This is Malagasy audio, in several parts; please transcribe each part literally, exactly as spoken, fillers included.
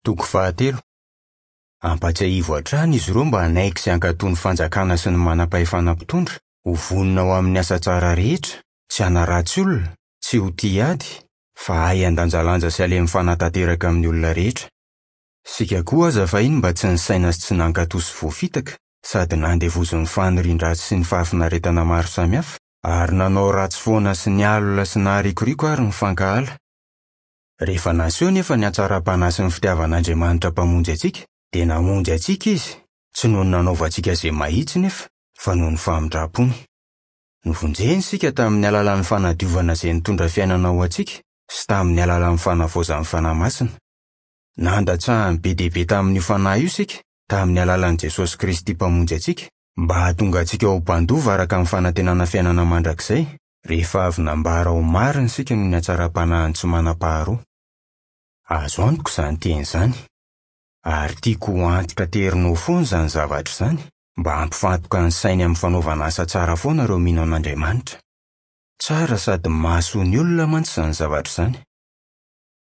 Toko fahatelo. Ampatsiahivo hatrany izy ireo mba hanaiky sy hankatò ny fanjakana sy ny manam-pahefana mpitondra, ho vonona ho amin'ny asa tsara rehetra, tsy hanaratsy olona, tsy ho tia ady, fa hahay handanjalanja sy halemy fanahy tanteraka amin'ny olona rehetra. Isika koa aza fahiny mba tsy nisaina sy tsy nankatò sy voafitaka, sady nandevozin'ny fanirian-dratsy sy ny fahafinaretana maro samihafa, ary nanao ratsy foana sy nialona sy naharikoriko ary nifankahala. Rehefa naseho nefa ny hatsaram-panahy sy ny fitiavan'Andriamanitra Mpamonjy antsika, dia namonjy antsika Izy, tsy noho ny nanaovantsika izay mahitsy nefa, fa noho ny famindram-pony. Novonjeny isika tamin'ny alalan'ny fanadiovana izay nitondra fiainana ho antsika sy tamin'ny alalan'ny fanavaozan'ny Fanahy Masina. Nandatsahany be dia be tamin'io Fanahy io isika, tamin'ny alalan'i Jesosy Kristy Mpamonjy antsika, mba hahatonga antsika ho mpandova araka ny fanantenana fiainana mandrakizay, rehefa avy nambara ho marina isika noho ny hatsaram-panahiny tsy manam-paharoa. Azo antoka izany teny izany. Ary tiako ho antitra terinao foana izany zavatra izany, mba hampifantoka ny sainy amin'ny fanaovana asa tsara foana ireo mino an'Andriamanitra. Tsara sady mahasoa ny olona mantsy izany zavatra izany.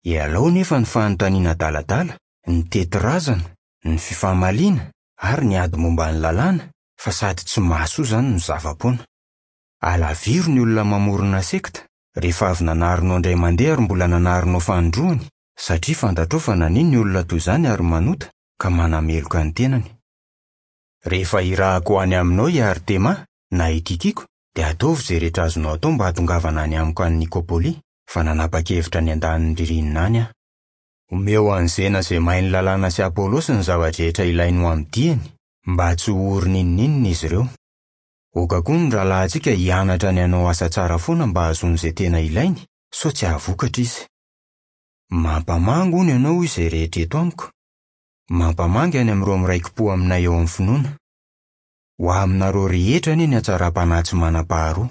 Ialao nefa ny fanontaniana adaladala, ny tetirazana, ny fifamaliana ary ny ady momba ny lalàna, fa sady tsy mahasoa izany no zava-poana. Alaviro ny olona mamorona sekta, rehefa avy nanarinao indray mandeha ary mbola nanarinao fanindroany, satria fantatrao fa nania ny olona toy izany ary manota, ka manameloka ny tenany. Rehefa irahako any aminao i Artema na i Tikiko, dia ataovy izay rehetra azonao atao mba hahatongavana any amiko any Nikopolia, fa nanapa-kevitra ny andanin'ny ririnina any aho. Omeo an'i Zena izay mahay ny lalàna sy Apôlôsy ny zava-drehetra ilainy ho amin'ny diany, mba tsy ho ory n'inon'inona izy ireo. Aoka koa ny rahalahintsika hianatra ny hanao asa tsara foana mba hahazoany izay tena ilainy, sao tsy hahavokatra izy. Mampamangy hono ianao hoy izay rehetra eto amiko. Mampamangy any amin'ireo miraiki-po aminay eo amin'ny finoana. Ho aminareo rehetra anie ny hatsaram-panahy tsy manam-paharoa.